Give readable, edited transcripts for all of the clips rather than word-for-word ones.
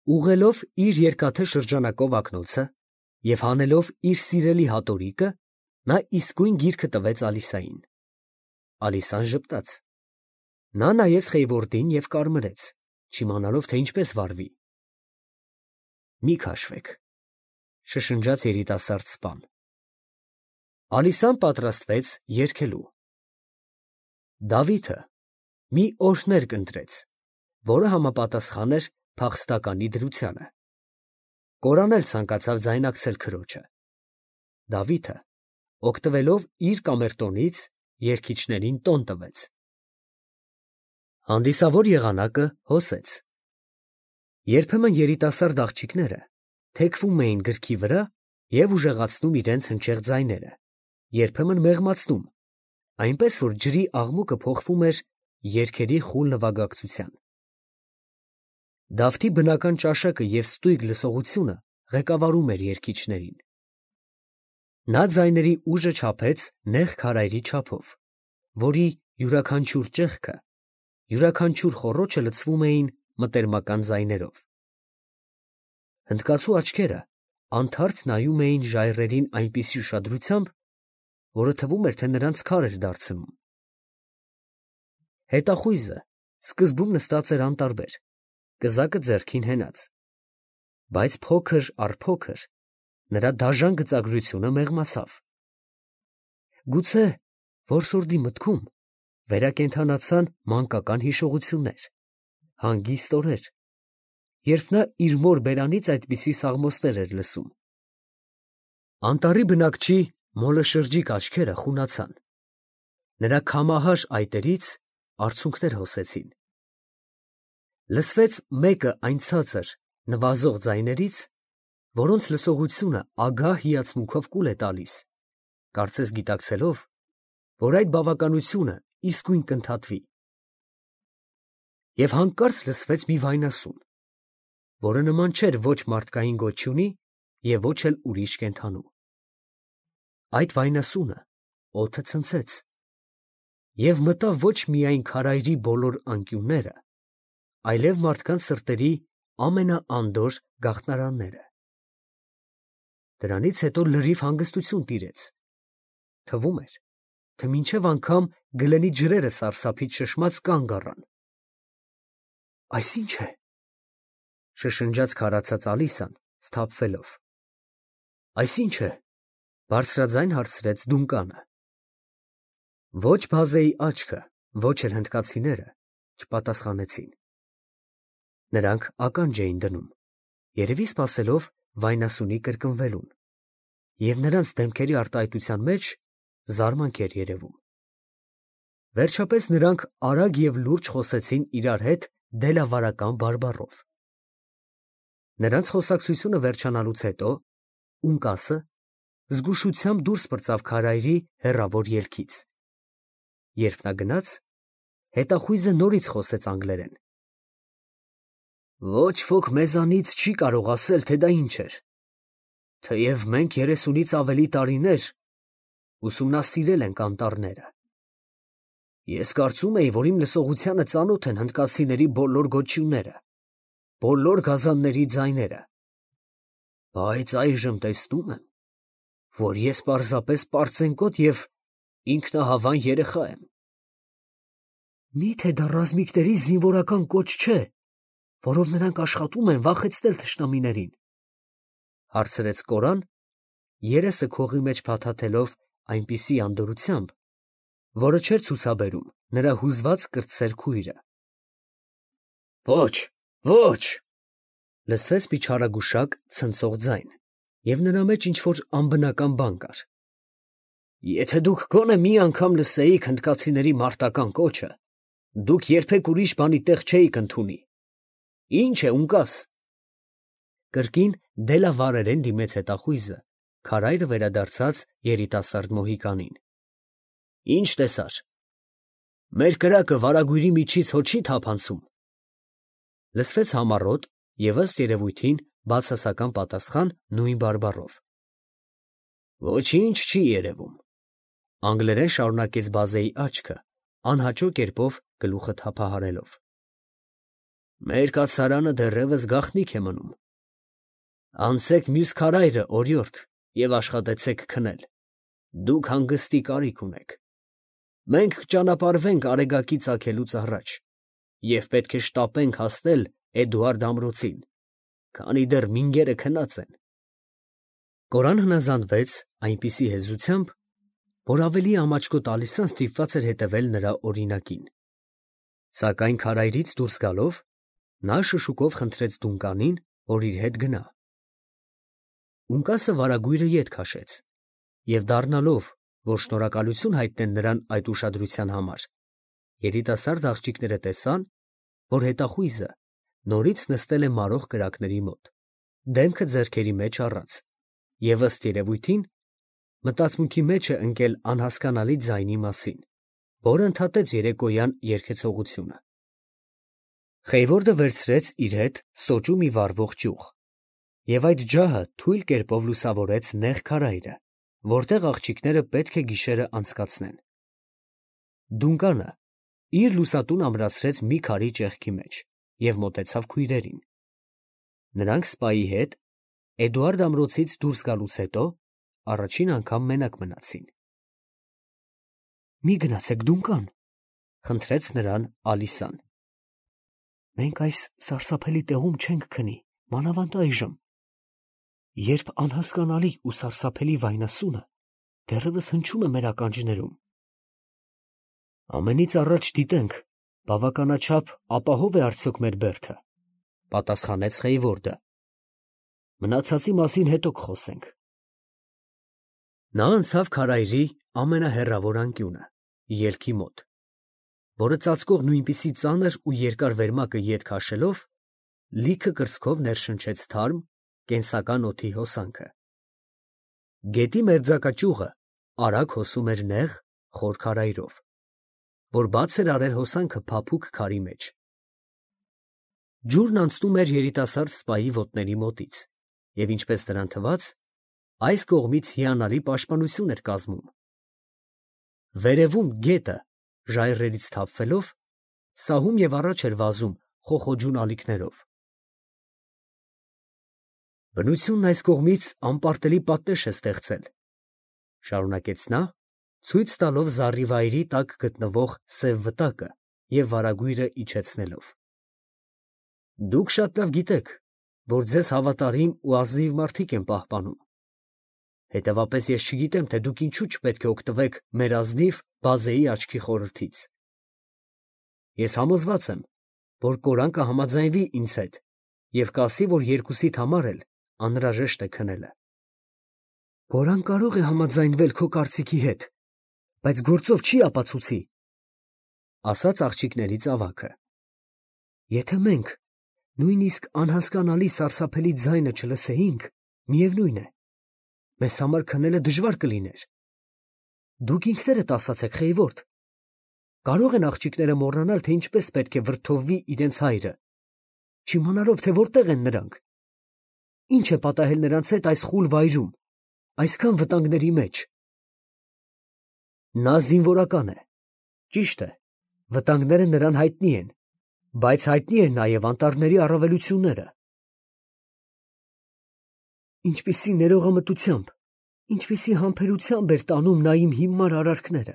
ուղղելով իր երկաթե շրջանակով ակնոցը և հանելով իր սիրելի հատորիկը, նա իսկույն գիրքը տվեց Ալիսային։ Ալիսան ժպտաց։ Նա նայեց Խեյվորդին և կարմրեց, չիմանալով, թե ինչպես վարվի։ «Մի քաշվեք», շշնջաց երիտասարդ սպան։ Ալիսան պատրաստվեց երգելու։ Դավիթը մի օրհներգ ընտրեց, որը համապատասխան էր փախստականի դրությանը։ Կորան էլ ցանկացավ ձայնակցել քրոջը։ Դավիթը, օգտվելով իր կամերտոնից, երգիչներին տոն տվեց։ Հանդիսավոր եղանակը հոսեց։ Երբեմն երիտասարդ աղջիկները թեքվում էին գրքի վրա և ուժեղացնում իրենց հնչեղ ձայները, երբեմն մեղմացնում, այնպես որ ջրի աղմուկը փոխվում էր երգերի խուլ նվագակցության։ Դավթի բնական ճաշակը և ստույգ լսողությունը ղեկավարում էր երգիչներին։ Նա ձայների ուժը չափեց նեղ քարայրի չափով, որի յուրաքանչյուր ճեղքը, յուրաքանչյուր խոռոչը լցվում էին մտերմական ձայներով։ Հնդկացու աչքերը անթարթ նայում էին ժայռերին այնպիսի ուշադրությամբ, որը թվում էր, թե նրանց քար էր դարձնում։ Հետախույզը սկզբում նստած էր անտարբեր, կզակը ձեռքին հենած, բայց փոքր առ փոքր նրա դաժան գծագրությունը մեղմացավ։ Գուցե որսորդի մտքում վերակենդանացան մանկական հիշողություններ, հանգիստ օրեր, երբ նա իր մոր բերանից այդպիսի սաղմոսներ էր լսում։ Անտառի բնակչի մոլշրջիկ աչքերը խունացան, նրա քամահար այտերից արցունքներ հոսեցին։ Լսվեց մեկը այն ցածր, նվազող ձայներից, որոնց լսողությունը ագահ հիացմունքով կուլ է տալիս, կարծես գիտակցելով, որ այդ բավականությունը իսկույն կընդհատվի։ Եվ հանկարծ լսվեց մի վայնասուն, որը նման չէր ոչ մարդկային գոչյունի և ոչ էլ ուրիշ կենդանու։ Այդ վայնասունը օդը ցնցեց և մտավ ոչ միայն քարայրի բոլոր անկյունները, այլև մարդկանց սրտերի ամենաանդորր գաղտնարանները։ Դրանից հետո լրիվ հանգստություն տիրեց, թվում էր, թե մինչև անգամ գլենի ջրերը սարսափից շշմած կանգ առան։ «Այս ի՞նչ է», շշնջաց քարացած Ալիսան, սթափվելով։ «Այս ի՞նչ է», բարձրաձայն հարցրեց Դունկանը։ Ոչ բազեի աչքը, ոչ էլ հնդկացիները չպատասխանեցին։ Նրանք ականջ էին դնում, երևի սպասելով վայնասունի կրկնվելուն, և նրանց դեմքերի արտահայտության մեջ զարմանք էր երևում։ Վերջապես նրանք արագ և լուրջ խոսեցին իրար հետ դելավարական բարբառով։ Նրանց խոսակցությունը վերջանալուց հետո Ունկասը զգուշությամբ դուրս պրծավ քարայրի հեռավոր ելքից։ Երբ նա գնաց, հետախույզը նորից խոսեց անգլերեն։ «Ոչ ոք մեզանից չի կարող ասել, թե դա ինչ էր, թեև մենք 30-ից ավելի տարիներ ուսումնասիրել ենք անտառները։ Ես կարծում էի, որ իմ լսողությանը ծանոթ են հնդկացիների բոլոր գոչյունները, բոլոր գազանների ձայները, բայց այժմ տեսնում եմ, որ ես պարզապես պարծենկոտ և ինքնահավան երեխա եմ»։ «Մի՞թե դա ռազմիկների զինվորական կոչ չէ, որով նրանք աշխատում են վախեցնել թշնամիներին», հարցրեց Կորան, երեսը քողի մեջ փաթաթելով այնպիսի անդորրությամբ, որը չէր ցուցաբերում նրա հուզված կրտսեր քույրը։ «Ոչ, ոչ», լսվեց մի չարագուշակ ցնցող ձայն, և նրա մեջ ինչ֊որ անբնական բան կար։ «Եթե դուք գոնե մի անգամ լսեիք հնդկացիների մարտական կոչը, դուք երբեք ուրիշ բանի տեղ չէիք ընդունի։ Ի՞նչ է, Ունկաս»։ Կրկին դելավարերեն դիմեց հետախույզը, քարայրը վերադարձած երիտասարդ մոհիկանին։ «Ի՞նչ տեսար։ Մեր կրակը վարագույրի միջից հո չի թափանցում»։ Լսվեց համառոտ և ըստ երևույթին բացասական պատասխան նույն բարբառով։ «Ոչինչ չի երևում», անգլերեն շարունակեց բազեի աչքը, անհաճո կերպով գլուխը թափահարելով։ Մեր կացարանը դեռևս գաղտնիք է մնում։ Անցեք մյուս քարայրը, օրիորդ, և աշխատեցեք քնել. դուք հանգստի կարիք ունեք։ Մենք կճանապարհվենք Արեգակի ծագելուց առաջ և պետք է շտապենք հասնել Էդուարդ ամրոցին, քանի դեռ մինգերը քնած են։ Կորան հնազանդվեց այնպիսի հեզությամբ, որ ավելի ամաչկո տալիսան ստիպված էր հետևել նրա օրինակին։ Սակայն քարայրից դուրս գալով, նա շշուկով խնդրեց Դունկանին, որ իր հետ գնա։ Ունկասը վարագույրը ետ քաշեց, և դառնալով, որ շնորհակալություն հայտնեն նրան այդ ուշադրության համար, երիտասարդ աղջիկները տեսան, որ հետախույզը նորից նստել է մարող կրակների մոտ, դեմքը ձեռքերի մեջ առած, և ըստ երևույթին մտածմունքի մեջ է ընկել անհասկանալի ձայնի մասին, որը ընդհատեց երեկոյան երգեցողությունը։ Խեյվորդը վերցրեց իր հետ սոճու մի վառվող ճյուղ, և այդ ջահը թույլ կերպով լուսավորեց նեղ քարայրը, որտեղ աղջիկները պետք է գիշերը անցկացնեն։ Դունկանը իր լուսատուն ամրացրեց մի քարի ճեղքի մեջ և մոտեցավ քույրերին։ Նրանք սպայի հետ Էդուարդ ամրոցից դուրս գալուց հետո առաջին անգամ մենակ մնացին։ «Մի գնացեք Դունկան», խնդրեց նրան Ալիսան։ «Մենք այս սարսափելի տեղում չենք քնի, մանավանդ այժմ, երբ անհասկանալի ու սարսափելի վայնասունը դեռևս հնչում է մեր ականջներում»։ «Ամենից առաջ դիտենք, բավականաչափ ապահով է արդյոք մեր բերդը», պատասխանեց Խեյվորդը։ «Մնացածի մասին հետո կխոսենք»։ Նա անցավ քարայրի ամենահեռավոր անկյունը, ելքի մոտ, որը ծածկող նույնպիսի ծանր ու երկար վերմակը ետ քաշելով, լիքը կրծքով ներշնչեց թարմ, կենսական օդի հոսանքը։ Գետի մերձակա արագ հոսում էր նեղ, խոր քարայրով, որ բաց էր արել հոսանքը փափուկ քարի մեջ։ Ջուրն անցնում էր երիտասարդ սպայի ոտների մոտից, և ինչպես նրան թվաց, այս կողմից հիանալի պաշտպանություն էր կազմում։ Վերևում գետը, ժայռերից թափվելով, սահում և առաջ էր վազում խոխոջուն ալիքներով։ «Բնությունն այս կողմից անպարտելի պատնեշ է ստեղծել», շարունակեց նա, ցույց տալով զառիվայրի տակ գտնվող սև վտակը և վարագույրը իջեցնելով։ «Դուք շատ լավ գիտեք, որ ձեզ հավատարիմ ու ազնիվ մարդիկ են պահպանում. հետևապես ես չգիտեմ, թե դուք ինչու չպետք է օգտվեք մեր ազնիվ բազեի աչքի խորհրդից։ Ես համոզված եմ, որ կորան կհամաձայնվի ինձ հետ և կասի, որ երկուսիդ համար էլ անհրաժեշտ է քնելը»։ «Կորան կարող է համաձայնվել քո կարծիքի հետ, բայց գործով չի ապացուցի», ասաց աղջիկներից ավագը։ «Եթե մենք նույնիսկ անհասկանալի սարսափելի ձայնը չլսեինք, միևնույն է, մեզ համար քնելը դժվար կլիներ։ Դուք ինքներդ ասացեք, Խեյվորդ, կարող են աղջիկները մոռանալ, թե ինչպես պետք է վրդովվի իրենց հայրը, չիմանալով, թե որտեղ են նրանք։ Ինչ է պատահել նրանց հետ այս խուլ վայրում, այսքան վտանգների մեջ։ Նա զինվորական է, ճիշտ է, վտանգները նրան հայտնի են, բայց հայտնի են նաև անտառների առավելությունները։ Ինչպիսի ներողամտությամբ, ինչպիսի համբերությամբ էր տանում նա իմ հիմար արարքները,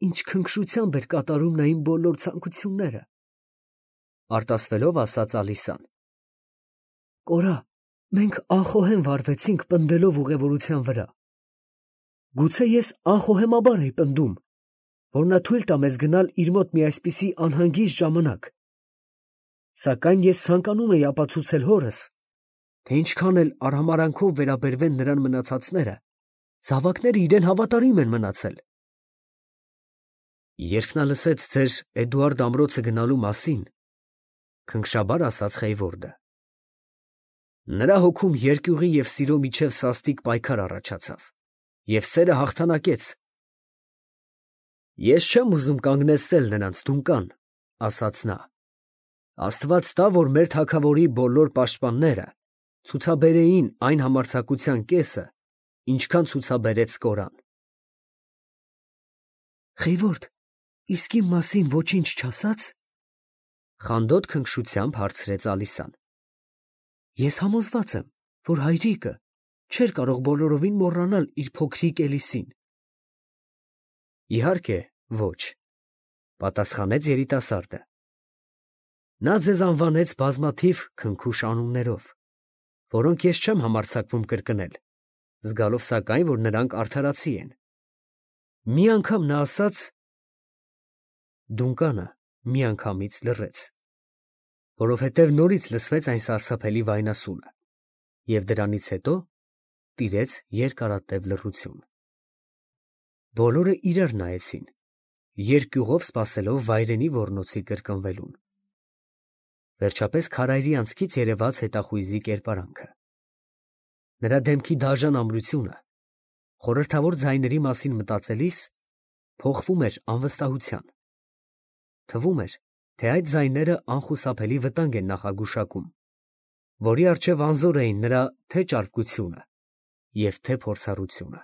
ինչ քնքշությամբ էր կատարում նա իմ բոլոր ցանկությունները, արտասվելով ասաց Ալիսան։ Կորա, մենք անխոհեմ վարվեցինք պնդելով ուղևորության վրա։ Գուցե ես անխոհեմաբար էի պնդում, որ նա թույլ տա մեզ գնալ իր մոտ մի այսպիսի անհանգիստ ժամանակ, սակայն ես ցանկանում էի ապացուցել հորս, թե ինչքան էլ արհամարհանքով վերաբերվեն նրան մնացածները, զավակները իրեն հավատարիմ են մնացել։ Երբ նա լսեց ձեր Էդուարդ ամրոցը գնալու մասին, քնքշաբար ասաց Խեյվորդը, նրա հոգում երկյուղի և սիրո միջև սաստիկ պայքար առաջացավ, և սերը հաղթանակեց։ Ես չեմ ուզում կանգնեցնել նրանց, Դունկան, ասաց նա։ Աստված տա, որ մեր թագավորի բոլոր պաշտպանները ցուցաբերեին այն համարձակության կեսը, ինչքան ցուցաբերեց Կորան։ Խեյվորդ, իսկ իմ մասին ոչինչ չասա՞ց։ Խանդոտ քնքշությամբ հարցրեց Ալիսան։ Ես համոզված եմ, որ հայրիկը չէր կարող բոլորովին մոռանալ իր փոքրիկ Էլիսին։ Իհարկե, ոչ, պատասխանեց երիտասարդը։ Նա ձեզ անվանեց բազմաթիվ քնքուշ անուններով, որոնք ես չեմ համարձակվում կրկնել, զգալով սակայն, որ նրանք արդարացի են։ Մի անգամ նա ասաց… Դունկանը միանգամից լռեց, որովհետև նորից լսվեց այն սարսափելի վայնասունը, և դրանից հետո տիրեց երկարատև լռություն։ Բոլորը իրար նայեցին, երկյուղով սպասելով վայրենի ոռնոցի կրկնվելուն։ Վերջապես քարայրի անցքից երևաց հետախույզի կերպարանքը։ Նրա դեմքի դաժան ամրությունը, խորհրդավոր ձայների մասին մտածելիս, փոխվում էր անվստահության։ Թվում էր, թե այդ ձայները անխուսափելի վտանգ են նախագուշակում, որի առջև անզոր էին նրա թե ճարպկությունը և թե փորձառությունը։